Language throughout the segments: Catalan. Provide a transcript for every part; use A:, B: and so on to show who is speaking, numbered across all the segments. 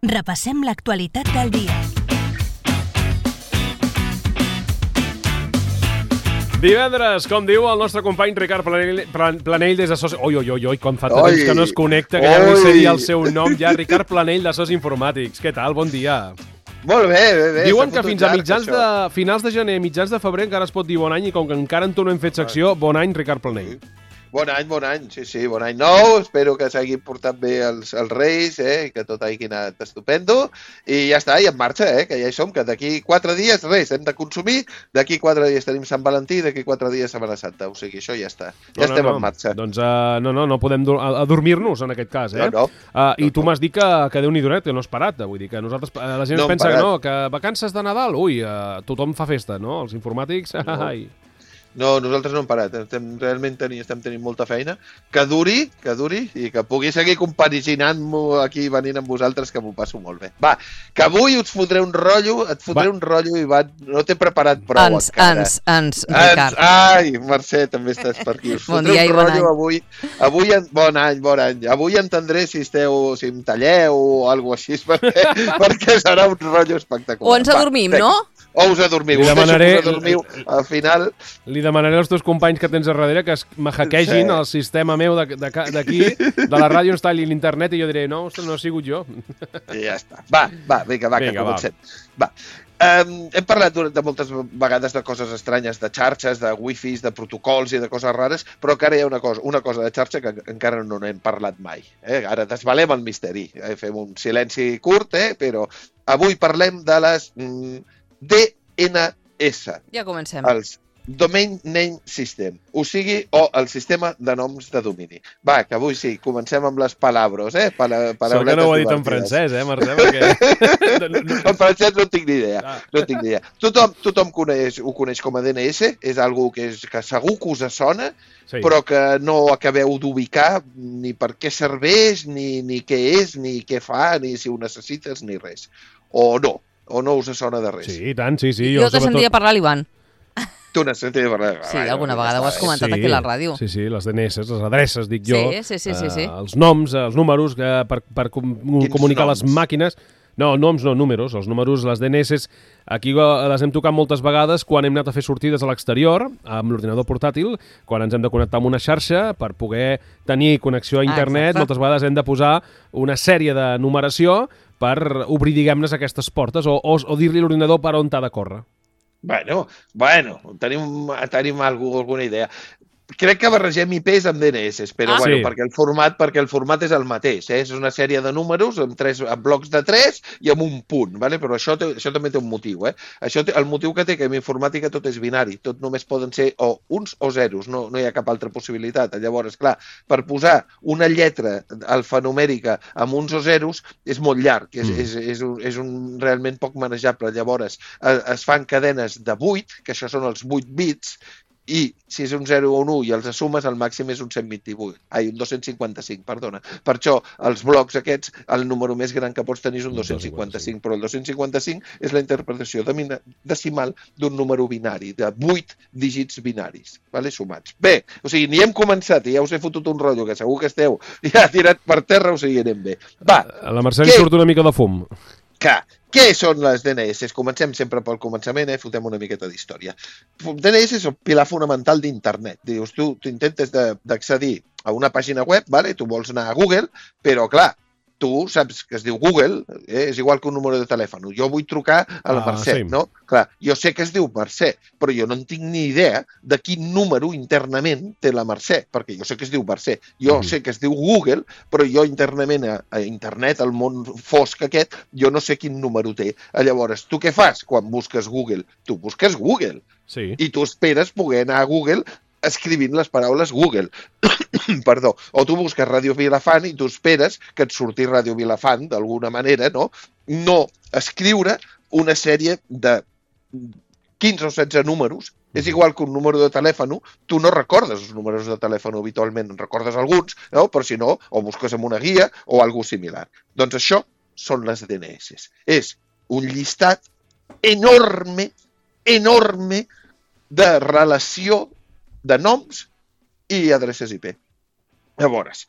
A: Repassem l'actualitat del dia.
B: Divendres, com diu el nostre company Ricard Planell des de SOS... Oi, com fa tant temps que no es connecta, que ja no sé dir el seu nom ja. Ricard Planell de SOS Informàtics. Què tal? Bon dia.
C: Molt bé.
B: Diuen que fins a finals de gener, mitjans de febrer, encara es pot dir bon any, i com que encara en tu no hem fet secció, bon any, Ricard Planell.
C: Bon any, sí, bon any nou. Espero que s'hagin portat bé els Reis, que tot hagi anat estupendo. I ja està, i en marxa, que ja hi som, que d'aquí 4 dies, res, hem de consumir. D'aquí 4 dies tenim Sant Valentí, d'aquí 4 dies Setmana Santa. O sigui, això ja està. Ja estem en marxa.
B: Doncs no podem adormir-nos en aquest cas,
C: No.
B: I tu m'has dit que Déu-n'hi-do, que no has parat. Vull dir que nosaltres, la gent pensa que no, que vacances de Nadal, tothom fa festa, no? Els informàtics,
C: No, nosaltres no hem parat. Realment estem tenint molta feina. Que duri, i que pugui seguir compaginant-m'ho aquí venint amb vosaltres, que m'ho passo molt bé. Va, que avui us fotré un rotllo, Ivan. No t'he preparat prou encara.
D: Ricard.
C: Ai, Mercè, també estàs per aquí. Us
D: Bon
C: fotré
D: dia i
C: un
D: bon
C: rotllo avui. Bon any. Avui entendré si em talleu o alguna cosa així, perquè serà un rotllo espectacular.
D: O ens adormim, no?
C: O us adormiu. Al final...
B: Li demanaré als teus companys que tens a darrere que es hackeegin el sistema meu d'aquí, de la ràdio, ens talli l'internet, i jo diré, no he sigut jo.
C: I ja està. Va, vinga, que comencem. Va. Hem parlat de moltes vegades de coses estranyes, de xarxes, de wifis, de protocols i de coses rares, però encara hi ha una cosa de xarxa que encara no n'hem parlat mai. Ara desvalem el misteri. Fem un silenci curt, però avui parlem de les DNS.
D: Ja comencem.
C: Els Domain Name System, o el sistema de noms de domini. Va, que avui sí, comencem amb les palabros,
B: Sort que no ho ha dit en francès, Mercè, perquè...
C: En francès no tinc ni idea. Tothom ho coneix com a DNS, és algo que segur que us sona,
B: sí,
C: però que no acabeu d'ubicar ni per què serveix, ni què és, ni què fa, ni si ho necessites, ni res. O no us sona de res.
B: Sí, i tant, sí.
D: Jo te sentia parlar l'Ivan.
C: Tu n'has sentit parlar?
D: Sí, alguna vegada ho has comentat aquí a la ràdio.
B: Sí, les DNS, les adreces, dic jo.
D: Sí.
B: Els noms, els números, per comunicar les màquines. No, noms no, números. Els números, les DNS, aquí les hem tocat moltes vegades quan hem anat a fer sortides a l'exterior, amb l'ordinador portàtil, quan ens hem de connectar amb una xarxa per poder tenir connexió a internet. Moltes vegades hem de posar una sèrie de numeració per obrir, diguem-ne, aquestes portes o dir-li a l'ordinador per on t'ha de córrer.
C: Bueno, tenim alguna idea. Crec que barregem IPs amb DNS, però
B: sí,
C: perquè el format és el mateix. És una sèrie de números amb blocs de 3 i amb un punt, però això també té un motiu. El motiu que té, que en informàtica tot és binari, tot només poden ser o uns o zeros, no hi ha cap altra possibilitat. Llavors, clar, per posar una lletra alfanumèrica amb uns o zeros és molt llarg, és realment poc manejable. Llavors, es fan cadenes de 8, que això són els 8 bits, i si és un 0 o un 1 i els sumes, el màxim és un 255, perdona. Per això, els blocs aquests, el número més gran que pots tenir és un 255, però el 255 és la interpretació decimal d'un número binari, de 8 dígits binaris, sumats. Bé, o sigui, ni hem començat i ja us he fotut un rotllo, que segur que esteu ja tirat per terra, o sigui, anem bé. Va.
B: A la Mercè li surt una mica de fum.
C: Què són les DNS? Comencem sempre pel començament, fotem una miqueta d'història. DNS és el pilar fonamental d'internet. Dius, tu intentes d'accedir a una pàgina web, tu vols anar a Google, però clar, tu saps que es diu Google, és igual que un número de telèfon. Jo vull trucar a la Mercè,
B: sí,
C: no? Clar, jo sé que es diu Mercè, però jo no en tinc ni idea de quin número internament té la Mercè, perquè jo sé que es diu Mercè. Jo sé que es diu Google, però jo internament a internet, al món fosc aquest, jo no sé quin número té. Llavors, tu què fas quan busques Google? Tu busques Google.
B: Sí.
C: I tu esperes poder anar a Google escrivint les paraules Google. Perdó. O tu busques Ràdio Vilafant i tu esperes que et surti Ràdio Vilafant d'alguna manera, no? No escriure una sèrie de 15 o 16 números. És igual que un número de telèfon, tu no recordes els números de telèfon habitualment, en recordes alguns, no? Però si no, o busques en una guia o alguna similar. Doncs això són les DNS. És un llistat enorme de relació de noms i adreces IP. Llavors,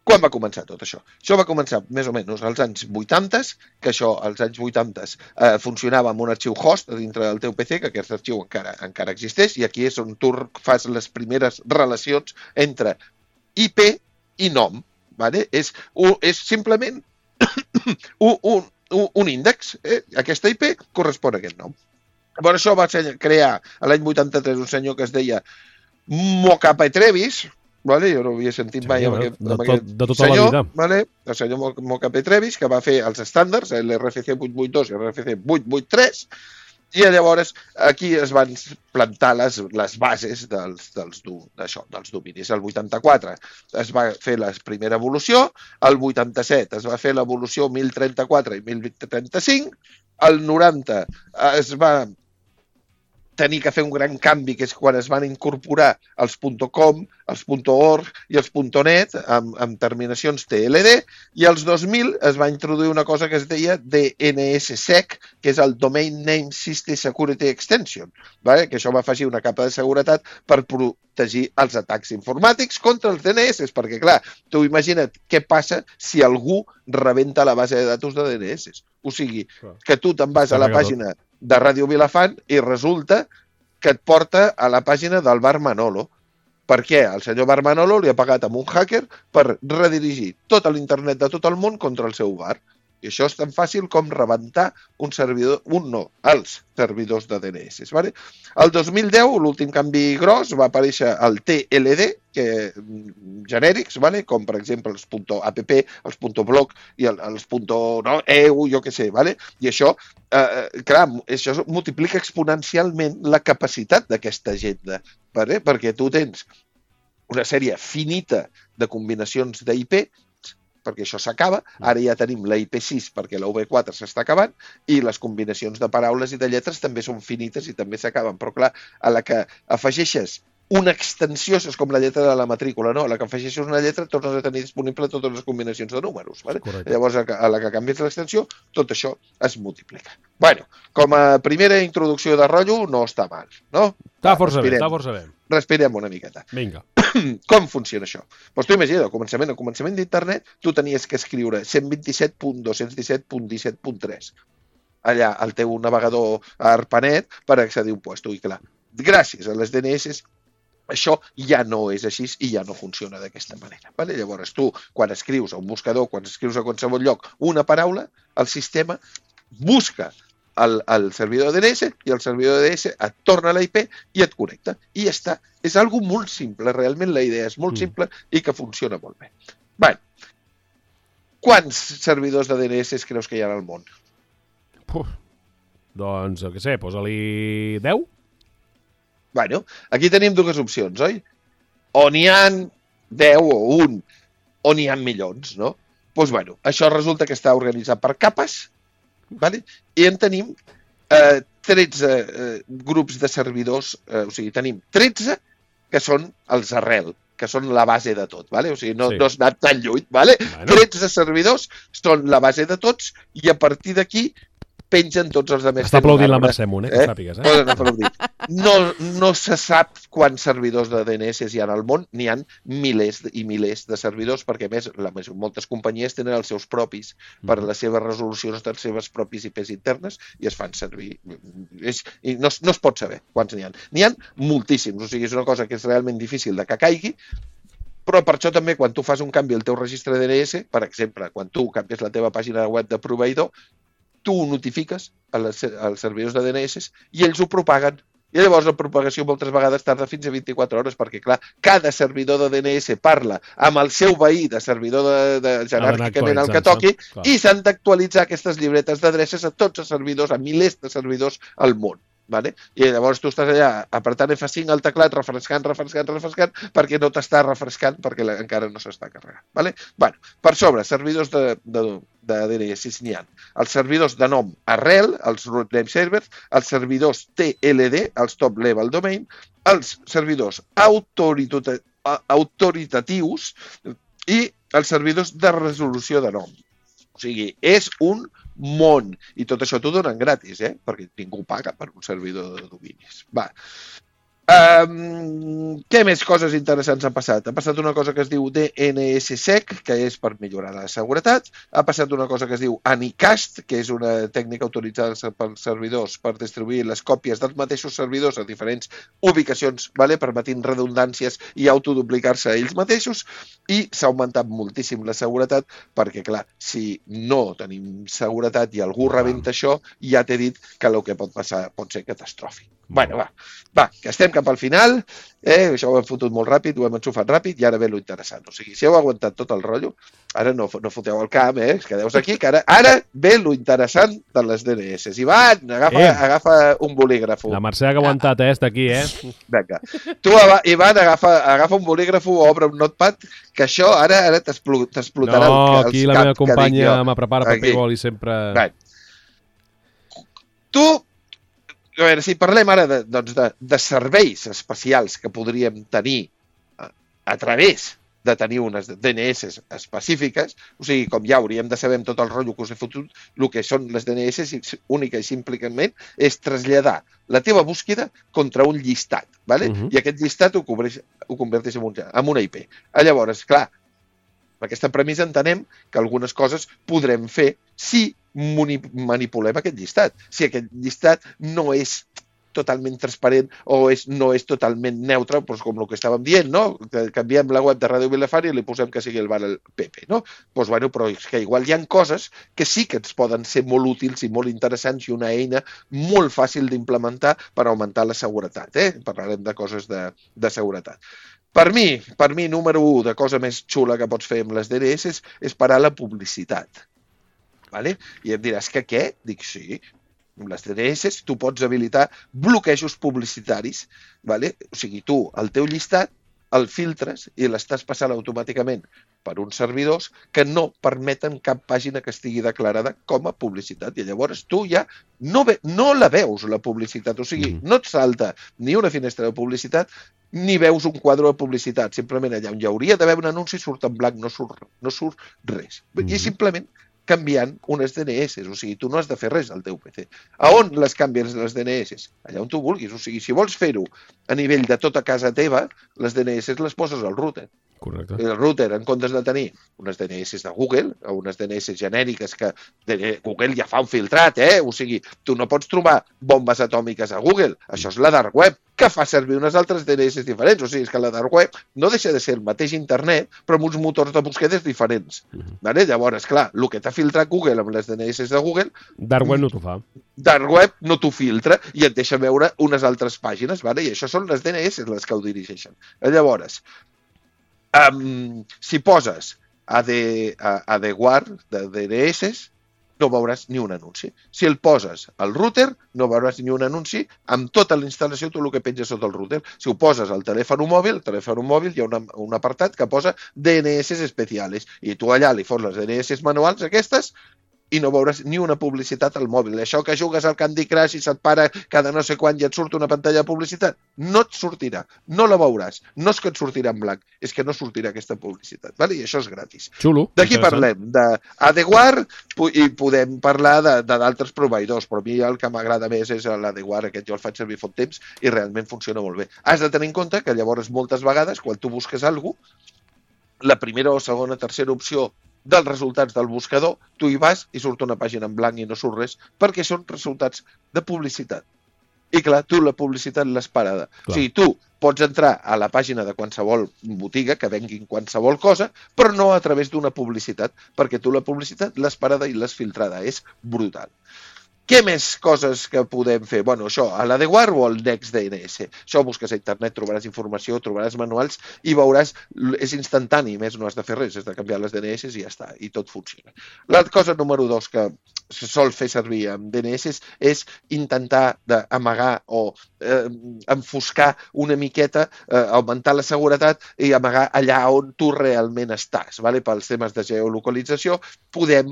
C: Quan va començar tot això? Això va començar més o menys als anys 80, que això als anys 80 funcionava amb un arxiu host dintre del teu PC, que aquest arxiu encara existeix, i aquí és on tu fas les primeres relacions entre IP i nom. Vale? És simplement un índex. Aquesta IP correspon a aquest nom. Llavors això va crear l'any 83 un senyor que es deia Moka Petrevis, vale? Jo no havia sentit mai amb aquest
B: de tota
C: senyor,
B: la vida.
C: vale? El senyor Moka Petrevis, que va fer els estàndols, l'RFC 882 i l'RFC 883, i llavors aquí es van plantar les bases dels dominis. El 84 es va fer la primera evolució, el 87 es va fer l'evolució 1034 i 1035, el 90 es va tenir que fer un gran canvi, que és quan es van incorporar els .com, els .org i els .net amb terminacions TLD, i als 2000 es va introduir una cosa que es deia DNSSEC, que és el Domain Name System Security Extension, vale? Que això va afegir una capa de seguretat per protegir els atacs informàtics contra els DNS, perquè clar, tu imagina't què passa si algú rebenta la base de datos de DNS. O sigui, que tu te'n vas a la pàgina de Ràdio Vilafant i resulta que et porta a la pàgina del bar Manolo. Per què? El senyor bar Manolo li ha pagat amb un hacker per redirigir tot l'internet de tot el món contra el seu bar. I això és tan fàcil com rebentar els servidors de DNS. Vale? El 2010, l'últim canvi gros, va aparèixer el TLD, genèrics, vale? Com per exemple els .app, els .blog i els .eu, jo què sé. Vale? I això, clar, això multiplica exponencialment la capacitat d'aquesta agenda, vale? Perquè tu tens una sèrie finita de combinacions d'IP, perquè això s'acaba, ara ja tenim la IP6 perquè la V4 s'està acabant i les combinacions de paraules i de lletres també són finites i també s'acaben, però clar, a la que afegeixes una extensió, és com la lletra de la matrícula, no? A la que afegeixes una lletra tornes a tenir disponible totes les combinacions de números, vale? Llavors a la que canvies l'extensió, tot això es multiplica. Bueno, com a primera introducció de rotllo no està mal, no?
B: Està força bé.
C: Respirem una miqueta.
B: Vinga.
C: Com funciona això? Doncs tu imagina, al començament d'internet, tu tenies que escriure 127.217.17.3 allà al teu navegador ARPANET per accedir a un lloc. I clar, gràcies a les DNS, això ja no és així i ja no funciona d'aquesta manera. Vale? Llavors tu, quan escrius a un buscador, quan escrius a qualsevol lloc una paraula, el sistema busca el servidor DNS i el servidor DNS et torna a la IP i et connecta. I ja està. És algo molt simple, realment la idea és molt simple i que funciona molt bé. Bé, quants servidors de DNS creus que hi ha al món?
B: Doncs, què sé, posa-li 10?
C: Bueno, aquí tenim dues opcions, oi? O n'hi ha 10 o 1, o n'hi ha milions, no? Doncs bueno, això resulta que està organitzat per capes, vale? I en tenim 13 grups de servidors, o sigui, tenim 13 que són els arrel, que són la base de tot, vale? O sigui, no has anat tan lluny, vale? Bueno. 13 servidors són la base de tots i a partir d'aquí pengen tots els altres.
B: Està aplaudint la Mercè Munt, que sàpigues.
C: Poden aplaudir. No se sap quants servidors de DNS hi ha al món, n'hi ha milers i milers de servidors, perquè a més moltes companyies tenen els seus propis per les seves resolucions dels seves propis IPs internes i es fan servir. I no es pot saber quants n'hi ha. N'hi ha moltíssims, o sigui, és una cosa que és realment difícil de que caigui, però per això també quan tu fas un canvi al teu registre de DNS, per exemple, quan tu canvies la teva pàgina web de proveïdor, tu ho notifiques als servidors de DNS i ells ho propaguen. I llavors la propagació moltes vegades tarda fins a 24 hores perquè, clar, cada servidor de DNS parla amb el seu veí de servidor jeràrquicament el que toqui i s'han d'actualitzar aquestes llibretes d'adreces a tots els servidors, a milers de servidors al món. Vale? I llavors tu estàs allà apretant F5 al teclat, refrescant, perquè no t'està refrescant perquè encara no s'està carregant. Vale? Bueno, per sobre, servidors de DNS n'hi ha. Els servidors de nom arrel, els root name servers, els servidors TLD, els top level domain, els servidors autoritatius i els servidors de resolució de nom. O sigui, és un món. I tot això t'ho donen gratis, perquè ningú paga per un servidor de dominis. Va. Què més coses interessants han passat? Ha passat una cosa que es diu DNSSEC, que és per millorar la seguretat. Ha passat una cosa que es diu Anycast, que és una tècnica autoritzada pels servidors per distribuir les còpies dels mateixos servidors a diferents ubicacions, permetint redundàncies i autoduplicar-se a ells mateixos. I s'ha augmentat moltíssim la seguretat perquè, clar, si no tenim seguretat i algú rebenta això, ja t'he dit que el que pot passar pot ser catastròfic. Bueno, va, que estem cap al final, això ho hem fotut molt ràpid, ho hem enxufat ràpid i ara ve lo interessant. O sigui, si heu aguantat tot el rotllo, ara no foteu el camp, quedeu aquí, que ara ve lo interessant de les DNS. Ivan, agafa un bolígrafo.
B: La Mercè ha aguantat, està aquí,
C: Vinga. Tu, Ivan, agafa un bolígrafo, obre un notepad, que això ara t'explotarà
B: no, aquí la meva companya me prepara paper i boli sempre...
C: Tu... A veure, si parlem ara de serveis especials que podríem tenir a través de tenir unes DNS específiques, o sigui, com ja hauríem de saber tot el rotllo que us he fotut, el que són les DNS única i simplement és traslladar la teva búsqueda contra un llistat, ¿vale? I aquest llistat ho converteix en una IP. Llavors, clar, amb aquesta premissa entenem que algunes coses podrem fer si manipulem aquest llistat. Si aquest llistat no és totalment transparent o no és totalment neutre, doncs com el que estàvem dient, no? Que canviem la web de Ràdio Vilafant i li posem que sigui el bar al PP, no? Doncs, bueno, però és que igual hi ha coses que sí que ens poden ser molt útils i molt interessants i una eina molt fàcil d'implementar per augmentar la seguretat, Parlarem de coses de seguretat. Per mi, número 1 de cosa més xula que pots fer amb les DNS és parar la publicitat. Vale? I em diràs que què? Dic, sí, amb les DNS tu pots habilitar bloquejos publicitaris. Vale? O sigui, tu, el teu llistat, el filtres i l'estàs passant automàticament per uns servidors que no permeten cap pàgina que estigui declarada com a publicitat. I llavors tu ja no la veus, la publicitat. O sigui, no et salta ni una finestra de publicitat ni veus un quadre de publicitat. Simplement allà on hi hauria d'haver un anunci surt en blanc, no surt res. I simplement canviant unes DNS, o sigui, tu no has de fer res al teu PC. A on les canvies les DNS? Allà on tu vulguis, o sigui, si vols fer-ho a nivell de tota casa teva, les DNS les poses al router.
B: Correcte.
C: El router, en comptes de tenir unes DNS de Google, o unes DNS genèriques que Google ja fa un filtrat, o sigui, tu no pots trobar bombes atòmiques a Google, això és la dark web, que fa servir unes altres DNS diferents, o sigui, és que la dark web no deixa de ser el mateix internet, però amb uns motors de búsquedes diferents. Vale? Llavors, clar, el que t'ha filtrat Google amb les DNS de Google...
B: Dark web no t'ho fa.
C: Dark web no t'ho filtra i et deixa veure unes altres pàgines, vale? I això són les DNS les que ho dirigeixen. Llavors, si poses ADWAR de DNS, no veuràs ni un anunci. Si el poses al router, no veuràs ni un anunci. Amb tota la instal·lació, tu el que penges sota el router. Si ho poses al telèfon mòbil hi ha un apartat que posa DNS especials. I tu allà li fos les DNS manuals aquestes i no veuràs ni una publicitat al mòbil. Això que jugues al Candy Crush i se't para cada no sé quan i et surt una pantalla de publicitat, no et sortirà, no la veurà. No és que et sortirà en blanc, és que no sortirà aquesta publicitat. Vale? I això és gratis.
B: Xulo.
C: D'aquí parlem d'ADWAR i podem parlar d'altres proveïdors, però a mi el que m'agrada més és l'ADWAR, aquest jo el faig servir fa un temps i realment funciona molt bé. Has de tenir en compte que llavors moltes vegades quan tu busques alguna cosa, la primera o segona o tercera opció dels resultats del buscador, tu hi vas i surt una pàgina en blanc i no surt res, perquè són resultats de publicitat. I clar, tu la publicitat l'has parada. Clar. O sigui, tu pots entrar a la pàgina de qualsevol botiga que venguin qualsevol cosa, però no a través d'una publicitat, perquè tu la publicitat l'has parada i l'has filtrada. És brutal. Què més coses que podem fer? Bueno, això, a l'ADWAR o al NextDNS. Això busques a internet, trobaràs informació, trobaràs manuals i veuràs, és instantani, més no has de fer res, has de canviar les DNS i ja està, i tot funciona. La cosa número 2 que se sol fer servir amb DNS és intentar d'amagar o enfoscar una miqueta, augmentar la seguretat i amagar allà on tu realment estàs. Vale? Pels temes de geolocalització podem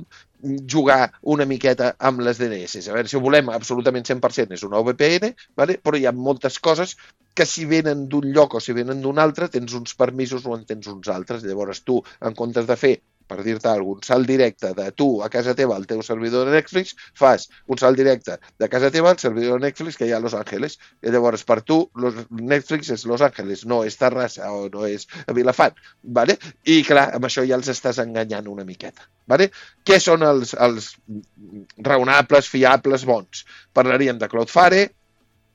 C: jugar una miqueta amb les DNS. A veure, si ho volem absolutament 100% és una VPN, vale? Però hi ha moltes coses que si venen d'un lloc o si venen d'un altre tens uns permisos o en tens uns altres. Llavors tu, en comptes de fer per dir-te algun salt directe de tu a casa teva al teu servidor de Netflix, fas un salt directe de casa teva al servidor de Netflix que hi ha a Los Angeles. I llavors, per tu, Netflix és Los Angeles, no és Terrassa o no és Vilafant. Vale? I, clar, amb això ja els estàs enganyant una miqueta. Vale? Què són els raonables, fiables, bons? Parlaríem de Cloudflare,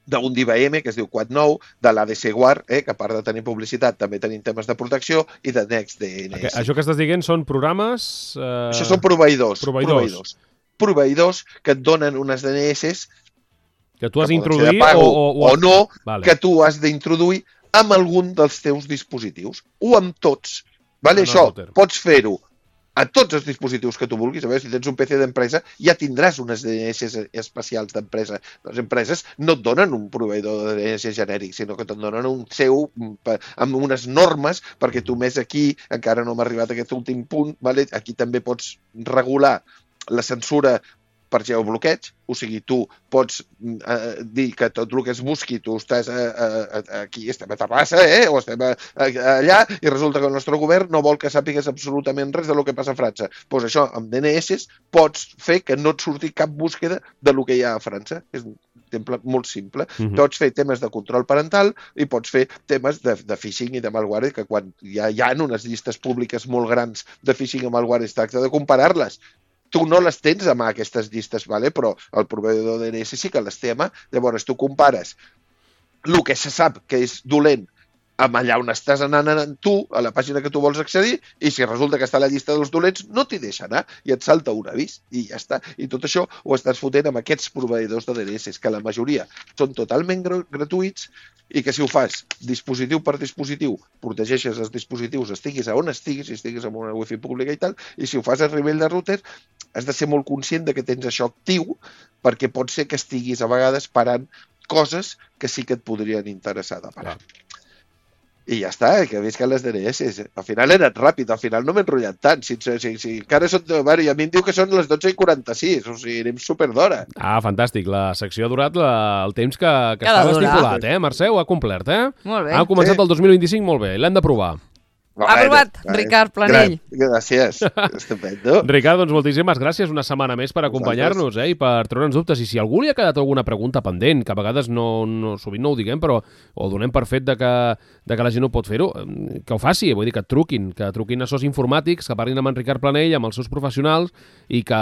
C: d'un d'IBM, que es diu Quad9, de l'ADC Guard, que a part de tenir publicitat també tenim temes de protecció, i de NextDNS.
B: Això que estàs dient són programes...
C: Això són proveïdors. Proveïdors que et donen unes DNS
B: que tu has d'introduir
C: o no,
B: vale.
C: Que tu has d'introduir amb algun dels teus dispositius, o amb tots. Vale? Això pots fer-ho a tots els dispositius que tu vulguis. A veure, si tens un PC d'empresa, ja tindràs unes DNS especials d'empresa. Les empreses no et donen un proveïdor de DNS genèric, sinó que te'n donen un seu amb unes normes, perquè tu més aquí, encara no hem arribat a aquest últim punt, vale? Aquí també pots regular la censura per geobloqueig, o sigui, tu pots dir que tot el que es busqui, tu estàs aquí, estem a Terrassa, o estem allà, i resulta que el nostre govern no vol que sàpigues absolutament res del que passa a França. Doncs això, amb DNS, pots fer que no et surti cap búsqueda del que hi ha a França. És un exemple molt simple. Pots fer temes de control parental i pots fer temes de phishing i de malware, que quan hi ha unes llistes públiques molt grans de phishing i malware, es tracta de comparar-les. Tu no les tens a mà, aquestes llistes, vale? Però el proveïdor de DNS sí que les té a mà. Llavors tu compares el que se sap que és dolent amb allà on estàs anant tu, a la pàgina que tu vols accedir, i si resulta que està a la llista dels dolents, no t'hi deixa anar, i et salta un avís, i ja està. I tot això ho estàs fotent amb aquests proveïdors de DNS, que la majoria són totalment gratuïts, i que si ho fas dispositiu per dispositiu, protegeixes els dispositius, estiguis a on estiguis, si estiguis en una wifi pública i tal, i si ho fas a nivell de router, has de ser molt conscient de que tens això actiu, perquè pot ser que estiguis a vegades parant coses que sí que et podrien interessar de parar. I ja està, que visca les DNS. Al final he anat ràpid, al final no m'he enrotllat tant. Si encara són... Bueno, i a mi em diu que són les 12:46, o sigui, anem superd'hora.
B: Fantàstic. La secció ha durat el temps que estava estipulat, Mercè? Ho ha complert,
D: Molt bé.
B: Ha començat el 2025 molt bé. L'hem de provar.
D: Aprovat, Ricard Planell.
C: Gràcies, estupendo.
B: Ricard, doncs moltíssimes gràcies una setmana més per acompanyar-nos i per treure'ns dubtes. I si a algú li ha quedat alguna pregunta pendent, que a vegades sovint no ho diguem, però ho donem per fet de que la gent no pot fer-ho, que ho faci, vull dir, que truquin a SOS Informàtics, que parlin amb en Ricard Planell, amb els seus professionals, i que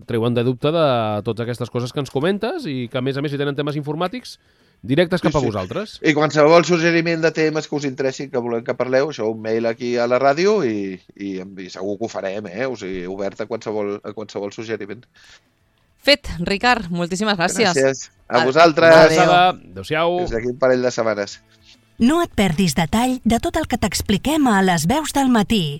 B: treuen de dubte de totes aquestes coses que ens comentes i que, a més, si tenen temes informàtics, directes cap a vosaltres.
C: I qualsevol suggeriment de temes que us interessin, que volem que parleu, això un mail aquí a la ràdio i segur que ho farem, o sigui, obert a qualsevol suggeriment.
D: Fet, Ricard, moltíssimes gràcies.
C: Gràcies. A vosaltres.
B: Adéu-siau.
C: Des d'aquí un parell de setmanes.
A: No et perdis detall de tot el que t'expliquem a Les Veus del Matí,